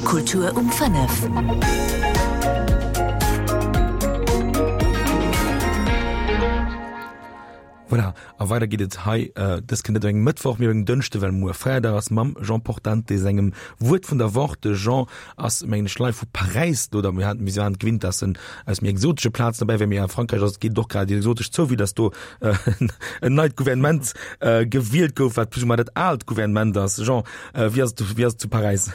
Kultur um 5. Voilà, a weider geet et hei dës Kéier net op engem Mëttwoch, mee op engem Dënschde, well muer Feierdag ass, mam Jean Portante sengem Wuert vun der Woch. De Jean ass, mengen ech, live vu Paräis do, oder mir haten, mir waren et gewinnt, dass en aus méi exotesche Plazen dobäi wär, mee a Frankräich ass et, geet et och grad exotesch zou, vue dass do en neit Gouvernement gewielt gouf, wat plus ou moins dat aalt Gouvernement ass. Jean, wéi ass et, wéi ass et zu Paräis?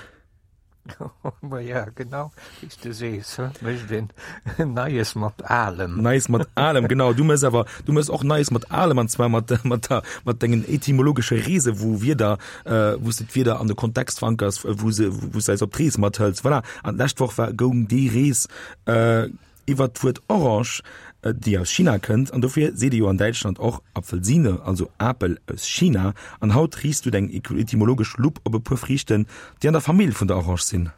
Ma ja, genau, wéi s de sees, mécht een Neies mat Alem. Neies mat Alem, genau. Du mëss awer, du mëss och Neies mat Alem, an zwar mat, mat der, mat dengen etymologesche Reese, wou Wierder, wou s de d'Wierder an de Kontext verankers, wou se, wou s de eis op d'Rees mathëls. Voilà. An d'lescht Woch war, goung déi Rees iwwert d'Wuert Orange, déi aus China kënnt, an dofir seet ee jo an Däitschland och Apfelsine, also Apel aus China. An haut riichts du deng etymologesch Lupp op e puer Friichten, déi an der Famill vun der Orange sinn.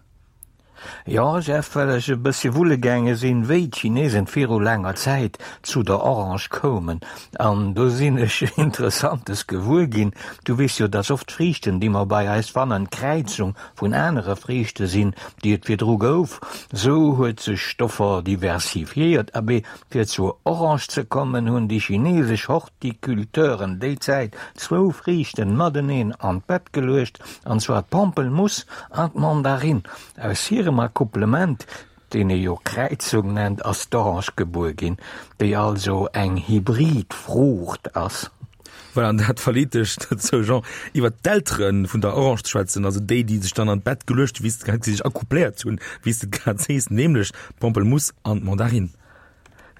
Jo, Jeff, well ech e bëssche wulle gaange sinn, wéi d'Chinesen viru laanger Zäit zu der Orange koumen. An do sinn ech Interessantes gewuer ginn. Du weess jo, dass oft Friichten, déi mer bei eis fannen, d'Kräizung vun anere Friichte sinn, déi et virdru gouf. Sou huet sech Stoffer diversifiéiert. Abee, fir zur Orange ze kommen, hunn déi chinesesch Horticulteuren déi Zäit zwou Friichten mateneen an d'Bett geluecht, an zwar d'Pampelmuss an d'Mandarinn. Aus hirem Accouplement, deen ee jo Kräizung nennt, ass d'Orange gebuer ginn, déi also eng Hybridfruucht ass. Voilà, an dat verleet dech dozou, Jean, iwwert d'Eltere vun der Orange ze schwätzen, also déi, déi sech dann an d'Bett geluecht hunn, wéi s de grad, déi sech accoupléiert hunn, wéi s de grad sees, nämlech d'Pampelmuss an d'Mandarinn.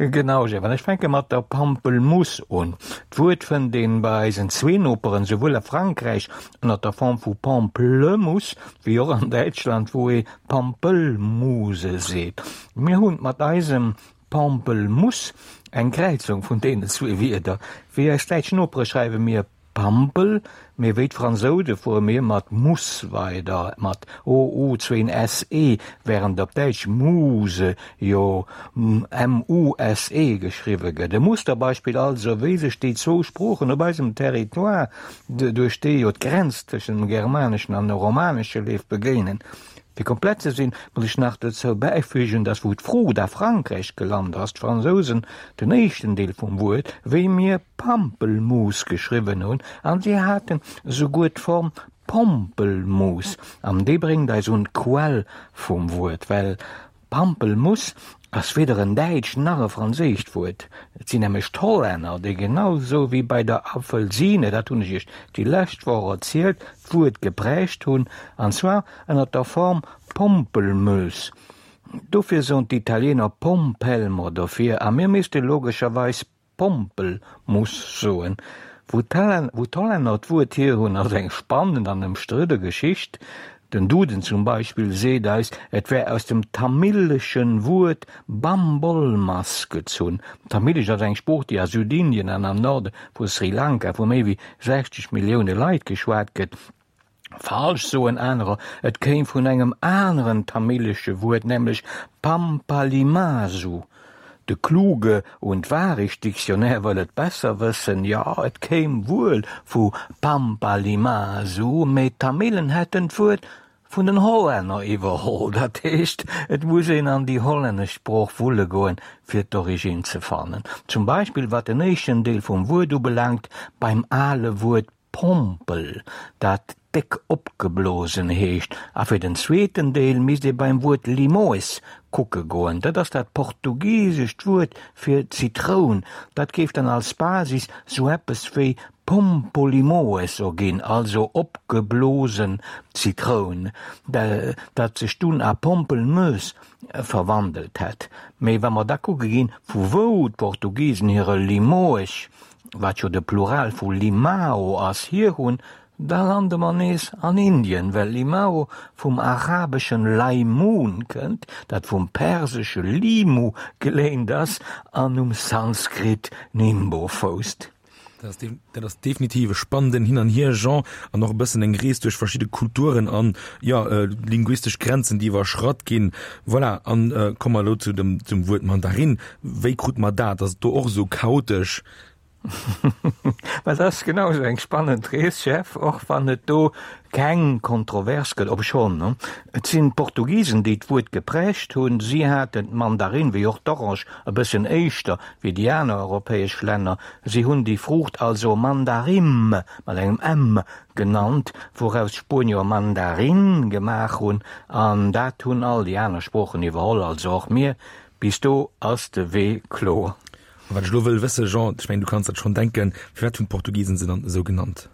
Genau, Jeff, an ech fänke mat der Pampelmuss un. D'Wuert fënnt een bei eisen zwee Noperen, souwuel a Frankräich ënner der Form vu Pamplemousse, wéi och an Däitschland, wou ee Pampelmuse seet. Mir hunn mat eisem Pampelmuss, eng Kräizung vun deenen zwee Wierder. Wéi eis däitsch Nopere schreiwe mir Pampel, mee wéi d'Fransoude fuere mir mat Muss weider, mat o u zwéin s e, wärend op Däitsch Muse jo m-u-s-e geschriwwe gëtt. E Musterbeispill also, wéi sech déi zwou Sproochen op eisem Territoire, duerch dee jo d'Grenz tëschent dem Germaneschen an dem Romanesche leeft, begéinen. Fir komplett ze sinn, muss ech nach dozou bäifügen, dass wou d'Fruucht a Frankräich gelant ass, d'Fransousen den éischten Deel vum Wuert wéi mir Pampelmousse geschriwwen hunn, an si haten esouguer d'Form Pompelmousse, an déi bréngt eis un d'Quell vum Wuert, well Pampelmuss ass weder en däitscht nach e franséischt Wuert. Et sinn nämlech d'Hollänner, déi genau sou wéi bei der Apfelsine, dat hunn ech iech déi lescht Woch erzielt, d'Wuert geprägt hunn, an zwar ënner der Form Pompelmös. Dofir soen d'Italiener Pompelmo dofir, a mir misste logescherweis Pompelmuss soen. Wou d'Hollänner d'Wuert hier hunn, ass eng spannend an ëmstridde Geschicht. Den Duden zum Beispill seet eis, et wär aus dem tamileschen Wuert Bambolmas gezunn. Tamilesch ass eng Sprooch, déi a Südindien an am Norde vu Sri Lanka vu méi wéi 60 Millioune Leit geschwat gëtt. Falsch, soen anerer, et kéim vun engem aneren tamilesche Wuert, nämlech Pampalimasu. De Kluge und Wahrig-Dictionnaire wëll et besser wëssen, jo, et kéim wuel vu Pampalimasu, mee d'Tamilen hätten d'Wuert vun den Hollänner iwwerholl. Dat heescht, et muss een an déi hollännesch Sprooch wulle goen, fir d'Originn ze fannen. Zum Beispill wat den éischten Deel vum Wuert ubelaangt, beim ale Wuert Pompel, dat déck opgeblosen heescht, a fir den zweeten Deel misst ee beim Wuert Limoes kucke goen, dat ass dat portugisescht Wuert fir Zitroun, dat géif dann als Basis sou eppes wéi Pompolimoes erginn, also opgeblosen Zitroun, dat sech dunn a Pompelmös verwandelt hätt. Mee wa mer da kucke ginn, vu wou d'Portugisen hire Limoes wat jo de Plural vu Limao ass, hier hunn, da lande mer nees an Indien, well Limao vum arabeschen Laimun kënnt, dat vum persesche Limu geléint ass an um Sanskrit Nimbo fousst. Dat ass definitiv e spannenden Hin an Hier, Jean, an och e bëssen eng Rees duerch verschidde Kulturen an, jo, linguistesch Grenzen, déi iwwerschratt ginn. Voilà, an komme mer elo zu dem, zum Wuert Mandarin. Wéi krut mer dat? Ass et do och esou chaotesch? Well dat ass genau esou eng spannend Rees, Jeff, och wann et do keng Kontrovers gëtt, obschonn, et sinn d'Portugisen, déi d'Wuert geprägt hunn. Si haten d'Mandarin, wéi och d'Orange, e bëssen éischter wéi déi aner europäesch Länner. Si hunn déi Fruucht also Mandarim, mat engem M, genannt, wouraus d'Spuenier Mandarin gemaach hunn, an dat hunn all déi aner Sproochen iwwerholl, also och mir. Bis do ass de Wee kloer. A wat ech elo wëll wëssen, Jean, ech mengen, du kanns dat schonn denken, Firwat hunn d'Portugisen se dann esou genannt?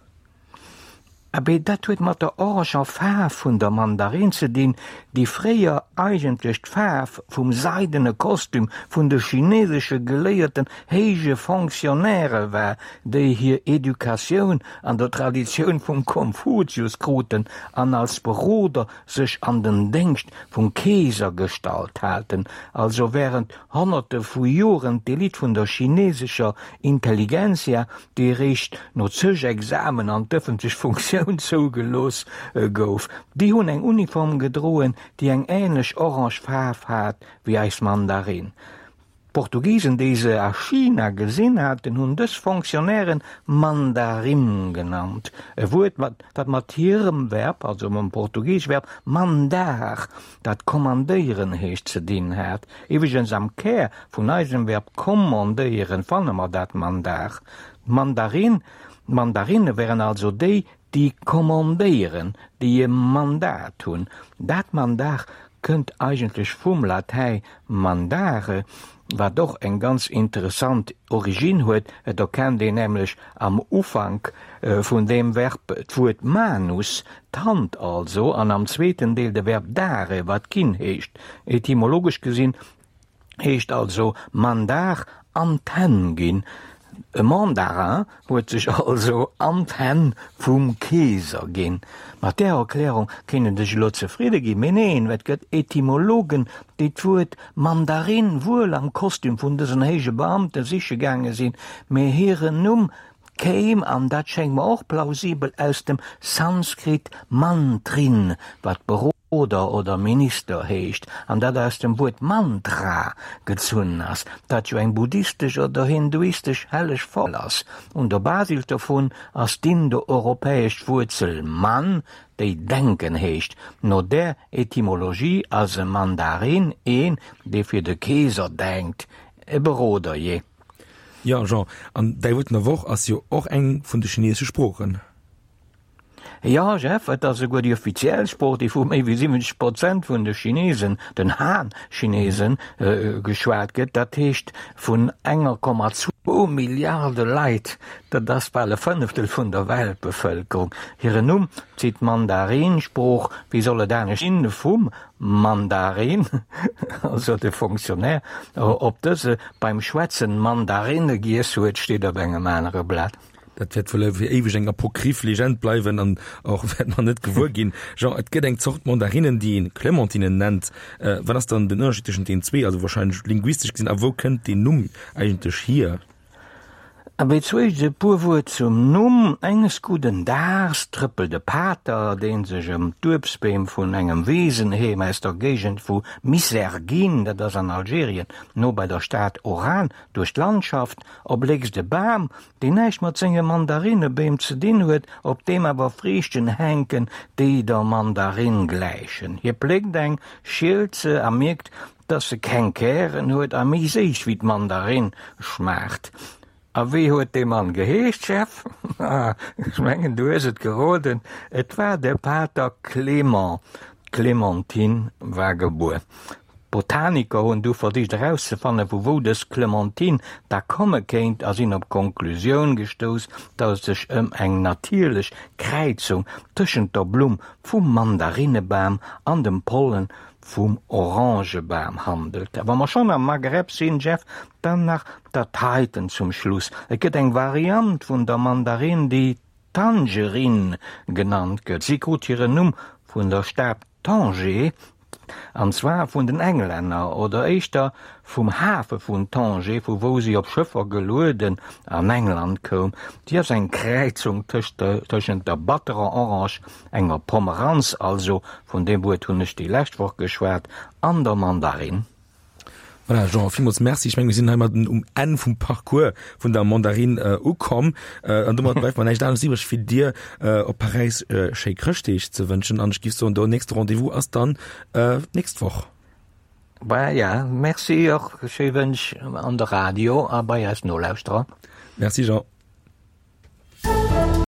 Abee, dat huet mat der oranger Faarf vun der Mandarin ze dinn, déi fréier eigentlech d'Faarf vum seidene Kostüm vun de chinesesche geléierten héije Fonctionnairë war, déi hir Educatioun an der Traditioun vum Konfuzius kruten an als Beroder sech an den Déngscht vum Keeser gestallt haten, also wärend Honnerte vu Joren d'Elite vun der chinesescher Intelligentsia, déi eréischt no zeg Examen an d'ëffentlech Funktioun zougelooss gouf. Déi hunn eng Uniform gedroen, déi eng änlech orange Faarf hat wéi eis Mandarin. D'Portugisen, déi se a China gesinn haten, hunn dës Fonctionnairen Mandarim genannt, e Wuert, dat mat hirem Verb, also mam portugiesche Verb mandar, dat kommandéieren heescht, ze dinn hat. Iwwregens am Kär vun eisem Verb kommandéieren fanne mer dat mandar. D'Mandarin, d'Mandarinne wären also déi, déi kommandéieren, déi e Mandat hunn. Dat Mandar kënnt eigentlech vum Latäi mandare, wat och eng ganz interessant Originn huet, et erkennt een nämlech am Ufank vun deem Verb d'Wuert manus, d'Hand also, an am zweeten Deel de Verb dare, wat ginn heescht. Etymologesch gesinn heescht also mandar an d'Hänn ginn. E Mandarin huet sech also an d'Hänn vum Keeser ginn. Mat där Erklärung kéint een sech elo zefridde ginn, mee neen, et gëtt Etymologen, déi d'Wuert Mandarin wuel am Kostüm vun dësen héije Beamte siche gaange sinn, mee hiren Numm kéim, an dat schéngt mer och plausibel, aus dem Sanskrit Mantrin, wat Beroder oder Minister heescht, an dat aus dem Wuert Mantra gezunn ass, dat jo eng buddhistesch oder hinduistesch helleg Formel ass. Un der Basis dovun ass d'indoeuropäesch Wuerzel man, déi denken heescht. No där Etymologie ass e Mandarin een, dee fir de Keeser denkt, e Beroder, jee. Jo, Jean, an däi Wuert vun der Woch ass jo och eng vun de chinesesche Sproochen. Jo, Jeff, et ass esouguer déi offiziell Sprooch, déi vu méi wéi 70 Prozent vun de Chinesen, den Han-Chinesen, geschwat gëtt. Dat heescht vun enger Komma zwou Milliarde Leit. Dat ass bal e Fënneftel vun der Weltbevëlkerung. Hiren Numm zitt d'Mandarin-Sprooch, wéi soll et anescht sinn, vum Mandarin, also de Fonctionnaire, ob dëse beim Schwätzen Mandarinne giess huet, steet op engem anere Blat. Dat wäert wuel fir éiweg eng apokryph Legend bleiwen an och wäert mer net gewuer ginn. Jean, et gëtt eng Zort Mandarinnen, déi een Clémentinen nennt. Wat ass dann den Ënnerscheed tëschent deenen zwee, also wahrscheinlech linguistesch gesinn, a wou kënnt deen Numm eigentlech hier? Abee, zuéischt e puer Wuert zum Numm. Enges gudden Daags trëppelt e Pater, dee sech ëm d'Uebstbeem vun engem Weesenheem aus der Géigend vu Misserghine, dat ass an Algerien, no bei der Stad Oran, duerch d'Landschaft, erbléckst e Bam, deen näischt mat senge Mandarinnebeem ze dinn huet, op deem awer Friichten hänken, déi der Mandarinn gläichen. Hie pléckt eng, schielt se a mierkt, Dass se keng Kären huet a méi séiss wéi d'Mandarinn schmaacht. A wéi huet dee Mann geheescht, Jeff? Ah, ech mengen, du hues et geroden, et war de Pater Clément. D'Clémentine war gebuer. D'Botaniker hunn du versicht erauszefannen, vu wou dës Clémentine da komme kéint a sinn op d'Konklusioun gestouss, dass et sech ëm eng natierlech Kräizung tëschent der Blumm vum Mandarinnebam an dem Pollen vum Orangebam handelt. A wa mer schonn am Maghreb sinn, Jeff, dann nach dat heiten zum Schluss, Et gëtt eng Variant vun der Mandarinn, déi Tangerine genannt gëtt. Si krut hiren Numm vun der Stad Tanger, an zwar vun den Englänner, oder éischter vum Hafe vun Tanger, vu wou si op Schëffer gelueden an England koum. Si ass eng Kräizung tëschent der batterer Orange Enger Pomeranz also, vun deem Wuert hunn ech déi lescht Woch geschwat, an der Mandarinn. Voilà, Jean, villmools Merci. Ech menge mir sinn heimadden um Enn vum Parcours vun der Mandarine äh, ukomm. Äh, an domat bleift mer näischt anescht iwwreg, fir dir äh, op Paräis äh, schéi Chrëschtdeeg ze wënschen. An ech giff soen, de nächste Rendez-vous ass dann äh, d'nächst Woch. Bah, ja, merci och, schéi Wënsch an de Radio a bei eis Nolauschterer. Merci Jean.